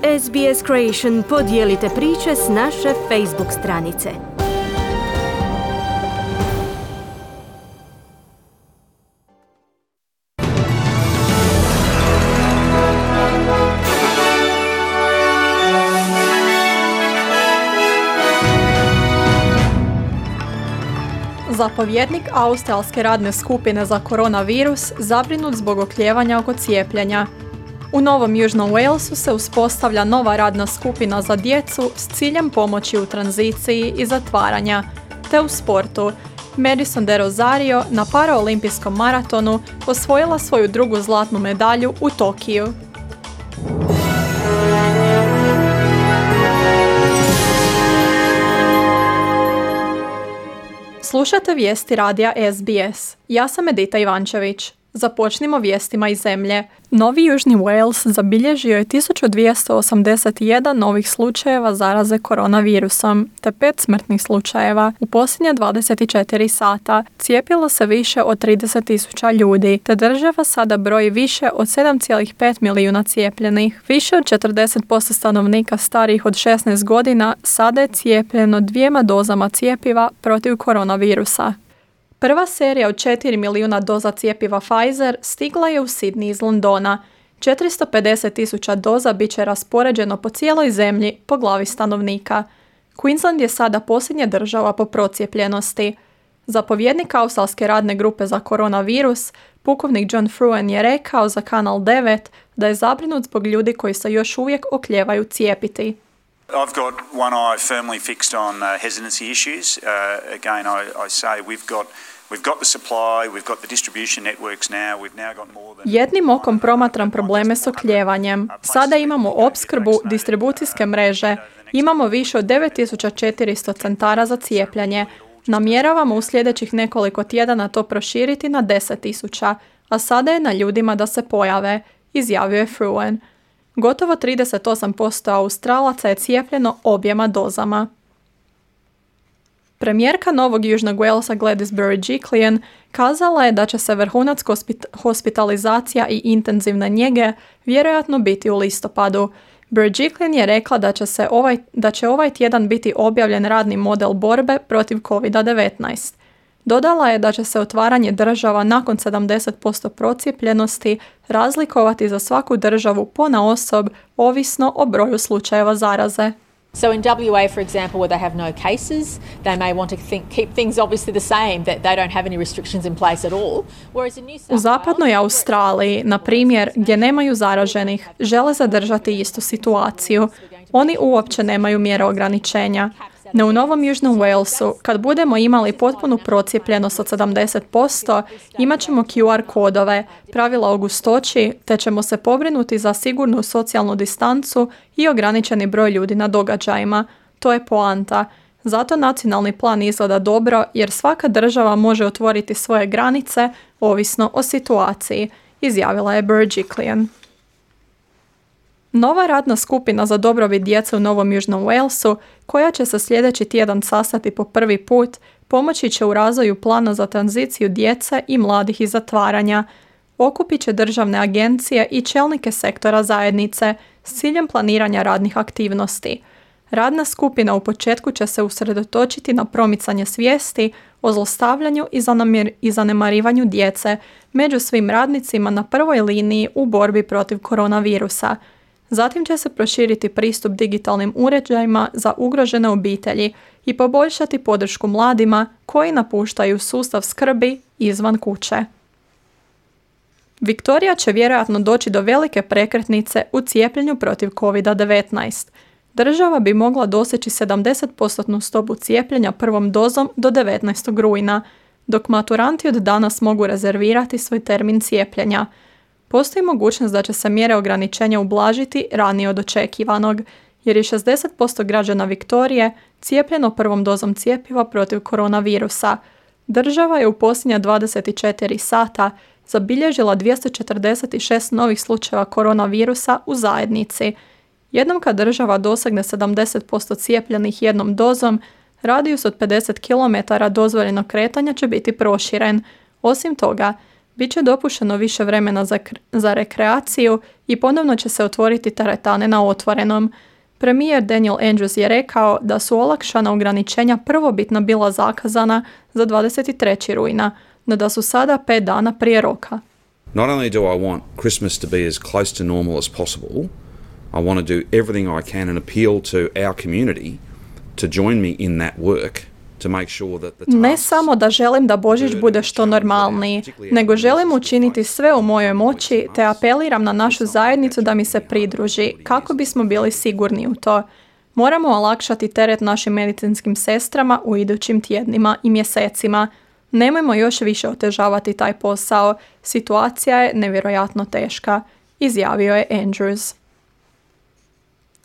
SBS Creation podijelite priče s naše Facebook stranice. Zapovjednik australske radne skupine za koronavirus zabrinut zbog oklijevanja oko cijepljenja. U Novom Južnom Walesu se uspostavlja nova radna skupina za djecu s ciljem pomoći u tranziciji i zatvaranja. Te u sportu, Madison de Rosario na paraolimpijskom maratonu osvojila svoju drugu zlatnu medalju u Tokiju. Slušate vijesti radija SBS. Ja sam Edita Ivančević. Započnimo vijestima iz zemlje. Novi Južni Wales zabilježio je 1281 novih slučajeva zaraze koronavirusom, te 5 smrtnih slučajeva. U posljednje 24 sata cijepilo se više od 30.000 ljudi, te država sada broji više od 7,5 milijuna cijepljenih. Više od 40% stanovnika starijih od 16 godina sada je cijepljeno 2 dozama cjepiva protiv koronavirusa. Prva serija od 4 milijuna doza cjepiva Pfizer stigla je u Sydney iz Londona. 450.000 doza bit će raspoređeno po cijeloj zemlji po glavi stanovnika. Queensland je sada posljednja država po procijepljenosti. Zapovjednik australske radne grupe za koronavirus, pukovnik John Fruen, je rekao za Kanal 9 da je zabrinut zbog ljudi koji se još uvijek oklijevaju cijepiti. I've got one eye firmly fixed on hesitancy issues. Again, I say we've got the supply, we've got the distribution networks now. We've now got more than... Jednim okom promatram probleme s okljevanjem. Sada imamo opskrbu, distribucijske mreže. Imamo više od 9400 centara za cijepljenje. Namjeravamo u sljedećih nekoliko tjedana to proširiti na 10.000, a sada je na ljudima da se pojave, izjavio je Fruen. Gotovo 38% Australaca je cijepljeno objema dozama. Premijerka Novog Južnog Walesa Gladys Berejiklian kazala je da će se vrhunac hospitalizacija i intenzivne njege vjerojatno biti u listopadu. Berejiklian je rekla da će ovaj tjedan biti objavljen radni model borbe protiv COVID-19. Dodala je da će se otvaranje država nakon 70% procijepljenosti razlikovati za svaku državu ponaosob, ovisno o broju slučajeva zaraze. So in WA, for example, where they have no cases, they may want to keep things obviously the same, that they don't have any restrictions in place at all. Whereas in New South Wales, u zapadnoj Australiji, na primjer, gdje nemaju zaraženih, žele zadržati istu situaciju. Oni uopće nemaju mjere ograničenja. No u Novom Južnom Walesu, kad budemo imali potpunu procijepljenost od 70%, imat ćemo QR kodove, pravila o gustoći, te ćemo se pobrinuti za sigurnu socijalnu distancu i ograničeni broj ljudi na događajima. To je poanta. Zato nacionalni plan izgleda dobro, jer svaka država može otvoriti svoje granice ovisno o situaciji, izjavila je Berejiklian. Nova radna skupina za dobrobit djece u Novom Južnom Walesu, koja će se sljedeći tjedan sastati po prvi put, pomoći će u razvoju plana za tranziciju djece i mladih iz zatvaranja. Okupit će državne agencije i čelnike sektora zajednice s ciljem planiranja radnih aktivnosti. Radna skupina u početku će se usredotočiti na promicanje svijesti o zlostavljanju i zanemarivanju djece među svim radnicima na prvoj liniji u borbi protiv koronavirusa. Zatim će se proširiti pristup digitalnim uređajima za ugrožene obitelji i poboljšati podršku mladima koji napuštaju sustav skrbi izvan kuće. Viktorija će vjerojatno doći do velike prekretnice u cijepljenju protiv COVID-19. Država bi mogla doseći 70% stopu cijepljenja prvom dozom do 19. rujna, dok maturanti od danas mogu rezervirati svoj termin cijepljenja. Postoji mogućnost da će se mjere ograničenja ublažiti ranije od očekivanog, jer je 60% građana Viktorije cijepljeno prvom dozom cjepiva protiv koronavirusa. Država je u posljednja 24 sata zabilježila 246 novih slučajeva koronavirusa u zajednici. Jednom kad država dosegne 70% cijepljenih jednom dozom, radijus od 50 km dozvoljenog kretanja će biti proširen. Osim toga, Biće dopušteno više vremena za rekreaciju i ponovno će se otvoriti teretane na otvorenom. Premijer Daniel Andrews je rekao da su olakšana ograničenja prvobitno bila zakazana za 23. rujna, no da su sada 5 dana prije roka. Not only do I want Christmas to be as close to normal as possible, I want to do everything I can and appeal to our community to join me in that work. Ne samo da želim da Božić bude što normalniji, nego želim učiniti sve u mojoj moći te apeliram na našu zajednicu da mi se pridruži, kako bismo bili sigurni u to. Moramo olakšati teret našim medicinskim sestrama u idućim tjednima i mjesecima. Nemojmo još više otežavati taj posao. Situacija je nevjerojatno teška, izjavio je Andrews.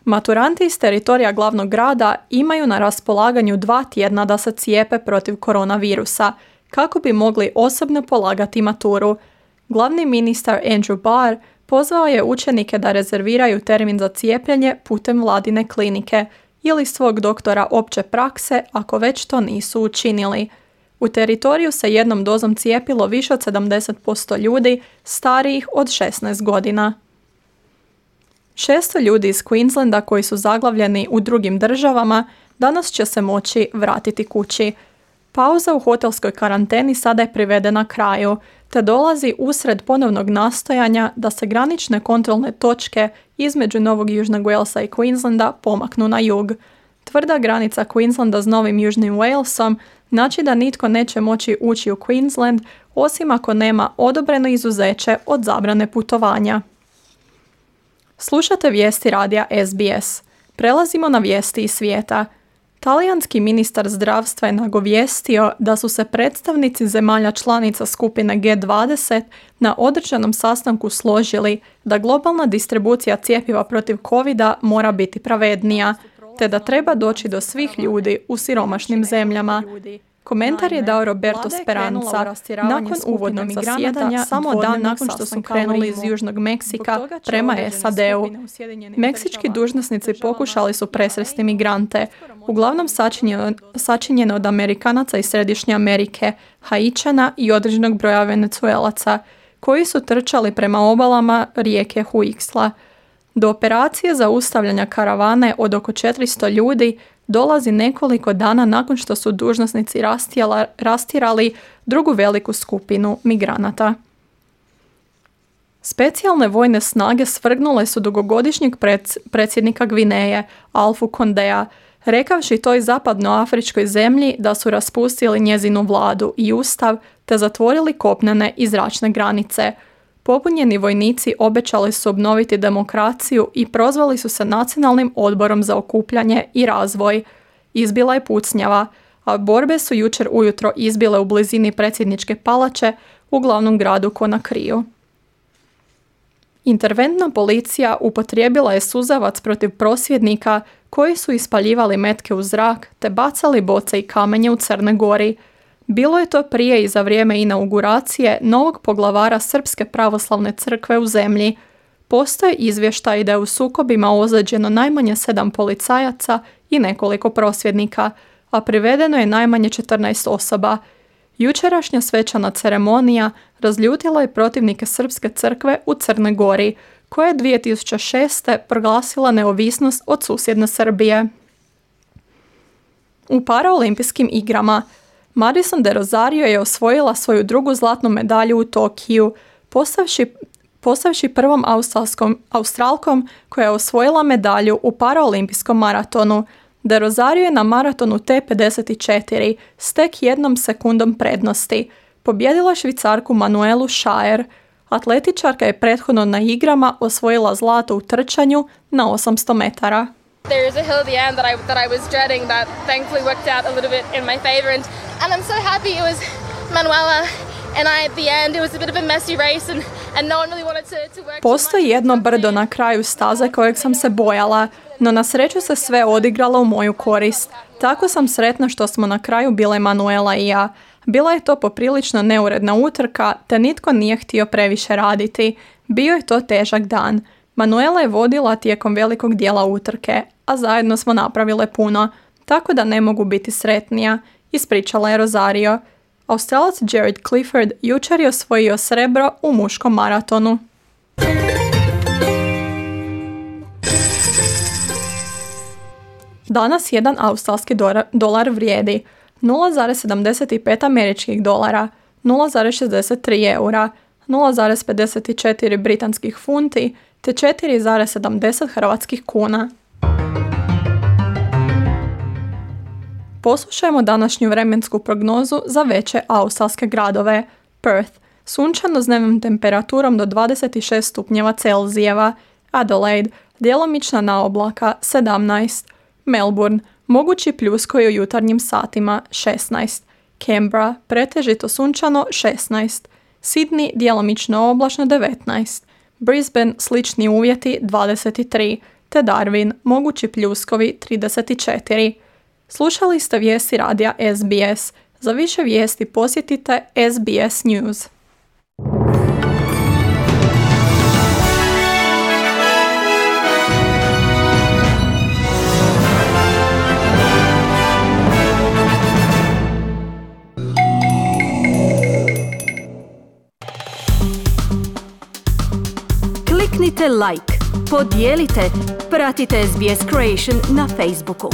Maturanti iz teritorija glavnog grada imaju na raspolaganju 2 tjedna da se cijepe protiv koronavirusa, kako bi mogli osobno polagati maturu. Glavni ministar Andrew Barr pozvao je učenike da rezerviraju termin za cijepljenje putem vladine klinike ili svog doktora opće prakse ako već to nisu učinili. U teritoriju se jednom dozom cijepilo više od 70% ljudi starijih od 16 godina. 600 ljudi iz Queenslanda koji su zaglavljeni u drugim državama danas će se moći vratiti kući. Pauza u hotelskoj karanteni sada je privedena kraju, te dolazi usred ponovnog nastojanja da se granične kontrolne točke između Novog Južnog Walesa i Queenslanda pomaknu na jug. Tvrda granica Queenslanda s Novim Južnim Walesom znači da nitko neće moći ući u Queensland osim ako nema odobreno izuzeće od zabrane putovanja. Slušate vijesti radija SBS. Prelazimo na vijesti iz svijeta. Talijanski ministar zdravstva je nagovijestio da su se predstavnici zemalja članica skupine G20 na održanom sastanku složili da globalna distribucija cjepiva protiv covida mora biti pravednija, te da treba doći do svih ljudi u siromašnim zemljama. Komentar je dao Roberto Speranza nakon uvodnog zasjedanja samo dan nakon što su krenuli iz Južnog Meksika prema SAD-u. Meksički dužnosnici pokušali su presresti migrante, uglavnom sačinjeno od Amerikanaca iz Središnje Amerike, Haičana i određenog broja Venecuelaca, koji su trčali prema obalama rijeke Huixla. Do operacije zaustavljanja karavane od oko 400 ljudi dolazi nekoliko dana nakon što su dužnosnici rastjerali drugu veliku skupinu migranata. Specijalne vojne snage svrgnule su dugogodišnjeg predsjednika Gvineje, Alfu Kondea, rekavši toj zapadnoafričkoj zemlji da su raspustili njezinu vladu i ustav te zatvorili kopnene i zračne granice. Pobunjeni vojnici obećali su obnoviti demokraciju i prozvali su se Nacionalnim odborom za okupljanje i razvoj. Izbila je pucnjava, a borbe su jučer ujutro izbile u blizini predsjedničke palače u glavnom gradu Konakriju. Interventna policija upotrijebila je suzavac protiv prosvjednika koji su ispaljivali metke u zrak te bacali boce i kamenje u Crnoj Gori. Bilo je to prije i za vrijeme inauguracije novog poglavara Srpske pravoslavne crkve u zemlji. Postoje izvještaj da je u sukobima ozlijeđeno najmanje 7 policajaca i nekoliko prosvjednika, a privedeno je najmanje 14 osoba. Jučerašnja svečana ceremonija razljutila je protivnike Srpske crkve u Crnoj Gori, koja je 2006. proglasila neovisnost od susjedne Srbije. U paraolimpijskim igrama Madison de Rozario je osvojila svoju drugu zlatnu medalju u Tokiju, postavši prvom Australkom koja je osvojila medalju u paraolimpijskom maratonu. De Rozario je na maratonu T54 s tek 1 sekundom prednosti pobjedila Švicarku Manuelu Schaer. Atletičarka je prethodno na igrama osvojila zlato u trčanju na 800 metara. There is a hill at the end that I was dreading that thankfully worked out a little bit in my favor and I'm so happy it was Manuela and at the end it was a bit of a messy race and no one really wanted to work. Postoji jedno brdo na kraju staze kojeg sam se bojala, no na sreću se sve odigralo u moju korist. Tako sam sretna što smo na kraju bile Manuela i ja. Bila je to poprilično neuredna utrka, te nitko nije htio previše raditi. Bio je to težak dan. Manuela je vodila tijekom velikog dijela utrke, a zajedno smo napravile puno, tako da ne mogu biti sretnija, ispričala je Rozario. Australac Jared Clifford jučer je osvojio srebro u muškom maratonu. Danas jedan australski dolar vrijedi 0,75 američkih dolara, 0,63 eura, 0,54 britanskih funti te 4,70 hrvatskih kuna. Poslušajmo današnju vremensku prognozu za veće australske gradove. Perth, sunčano s dnevnom temperaturom do 26 stupnjeva Celzijeva. Adelaide, djelomična naoblaka 17. Melbourne, mogući pljuskovi u jutarnjim satima 16. Canberra, pretežito sunčano 16. Sydney, djelomično oblačno 19. Brisbane, slični uvjeti 23. Te Darwin, mogući pljuskovi 34. Slušali ste vijesti radija SBS. Za više vijesti posjetite SBS News. Kliknite like, podijelite, pratite SBS Creation na Facebooku.